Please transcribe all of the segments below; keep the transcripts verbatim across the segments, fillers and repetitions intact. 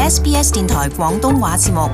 S B S 電台廣東話節目。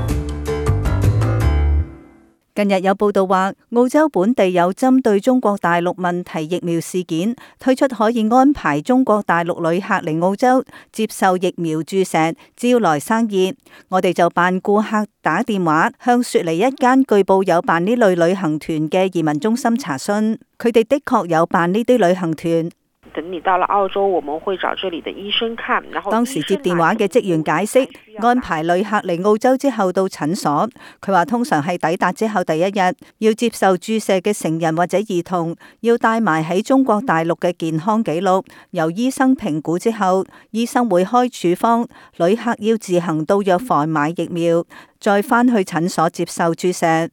近日有報道話，澳洲本地有針對中國大陸問題疫苗事件，推出可以安排中國大陸旅客嚟澳洲接受疫苗注射，招來生意。我哋就扮顧客打電話向雪梨一間據報有辦呢類旅行團嘅移民中心查詢，佢哋的確有辦呢啲旅行團。等你到了澳洲，我們會找這裡的醫生看。然後當時接電話嘅職員解釋，安排旅客嚟澳洲之後到診所，佢話通常係抵達之後第一日要接受注射嘅成人或者兒童要帶埋喺中國大陸嘅健康記錄，由醫生評估之後，醫生會開處方，旅客要自行到藥房買疫苗，再返去診所接受注射。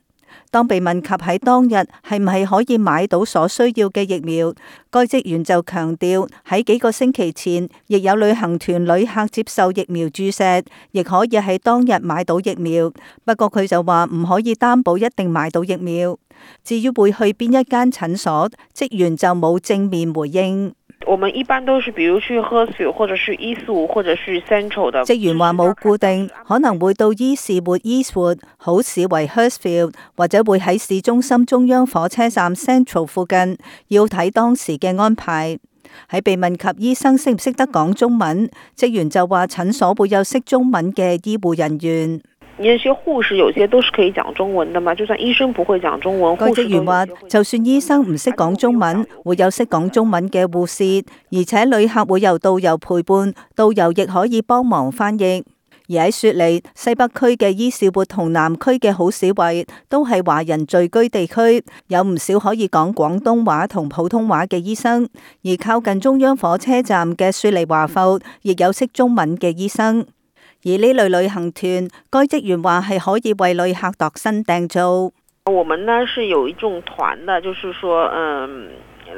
當被問及喺當日係唔係可以買到所需要嘅疫苗，該職員就強調喺幾個星期前亦有旅行團旅客接受疫苗注射，亦可以喺當日買到疫苗。不過佢就話唔可以擔保一定買到疫苗。至於會去邊一間診所，職員就冇正面回應。我們一般都是，比如去 Hurstville 或者是伊士活或者是 Central 的。職員話冇固定，可能會到伊士活 Eastwood 好市為 Hurstville，或者會喺市中心中央火車站 Central 附近，要睇當時嘅安排。喺被問及醫生識唔識得講中文，職員就話診所會有識中文嘅醫護人員。那些護士有些都是可以講中文的嘛，就算醫生不會講中文，該職員話，就算醫生唔識講中文，會有識講中文嘅護士，而且旅客會由導遊陪伴，導遊亦可以幫忙翻譯。而喺雪梨西北區嘅伊士活同南區嘅好市圍都係華人聚居地區，有唔少可以講廣東話同普通話嘅醫生。而靠近中央火車站嘅雪梨華埠亦有識中文嘅醫生。而呢類旅行團，該職員話係可以為旅客度身訂造。我們呢是有一種團的，就是說，嗯，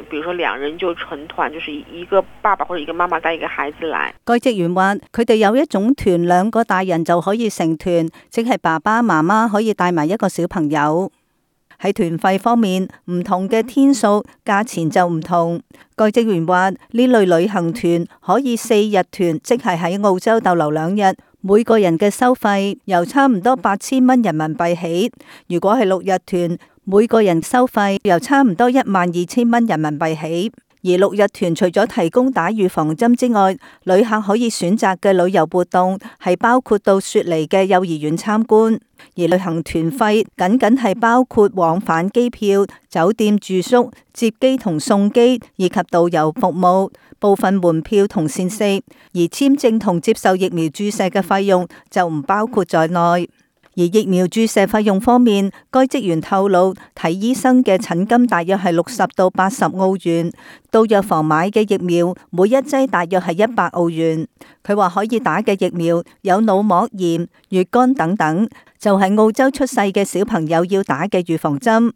比如說兩人就成團，就是一個爸爸或者一個媽媽帶一個孩子來。該職員話，佢哋有一種團，兩個大人就可以成團，即係爸爸媽媽可以帶埋一個小朋友。喺團費方面，唔同嘅天數，價錢就唔同。該職員話，呢類旅行團可以四日團，即係喺澳洲逗留兩日。每個人嘅收費由差唔多八千蚊人民幣起，如果係六日團，每個人收費由差唔多一萬二千蚊人民幣起。而六日團除咗提供打預防針之外，旅客可以選擇嘅旅遊活動係包括到雪梨嘅幼兒園參觀。而旅行團費僅僅係包括往返機票、酒店住宿、接機同送機以及導遊服務、部分門票同膳食，而簽證同接受疫苗注射嘅費用就唔包括在內。而疫苗注射費用方面，該職員透露，睇醫生嘅診金大約係六十到八十澳元，到藥房買嘅疫苗每一劑大約係一百澳元。佢話可以打嘅疫苗有腦膜炎、乙肝等等，就係澳洲出世嘅小朋友要打嘅預防針。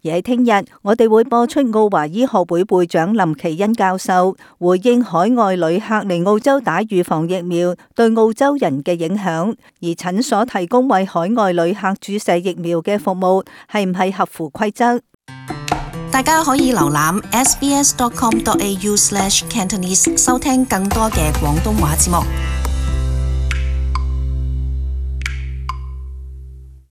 而喺聽日，我哋會播出澳華醫學會會長林奇恩教授回應海外旅客嚟澳洲打預防疫苗對澳洲人嘅影響，而診所提供為海外旅客注射疫苗嘅服務係唔係合乎規則？大家可以瀏覽 s b s dot com dot a u slash cantonese 收聽更多嘅廣東話節目。